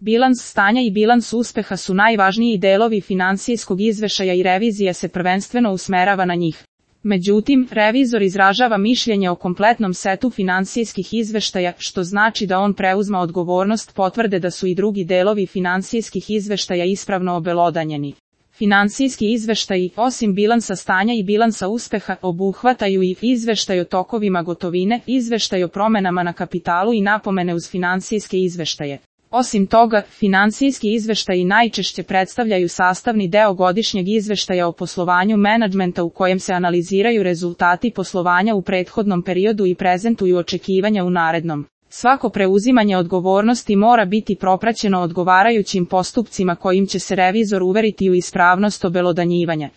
Bilans stanja i bilans uspeha su najvažniji delovi finansijskog izveštaja i revizija se prvenstveno usmerava na njih. Međutim, revizor izražava mišljenje o kompletnom setu finansijskih izveštaja, što znači da on preuzma odgovornost potvrde da su i drugi delovi finansijskih izveštaja ispravno obelodanjeni. Finansijski izveštaji, osim bilansa stanja i bilansa uspeha, obuhvataju i izveštaj o tokovima gotovine, izveštaj o promenama na kapitalu i napomene uz finansijske izveštaje. Osim toga, finansijski izveštaji najčešće predstavljaju sastavni deo godišnjeg izveštaja o poslovanju menadžmenta u kojem se analiziraju rezultati poslovanja u prethodnom periodu i prezentuju očekivanja u narednom. Svako preuzimanje odgovornosti mora biti propraćeno odgovarajućim postupcima kojim će se revizor uveriti u ispravnost obelodanjivanja.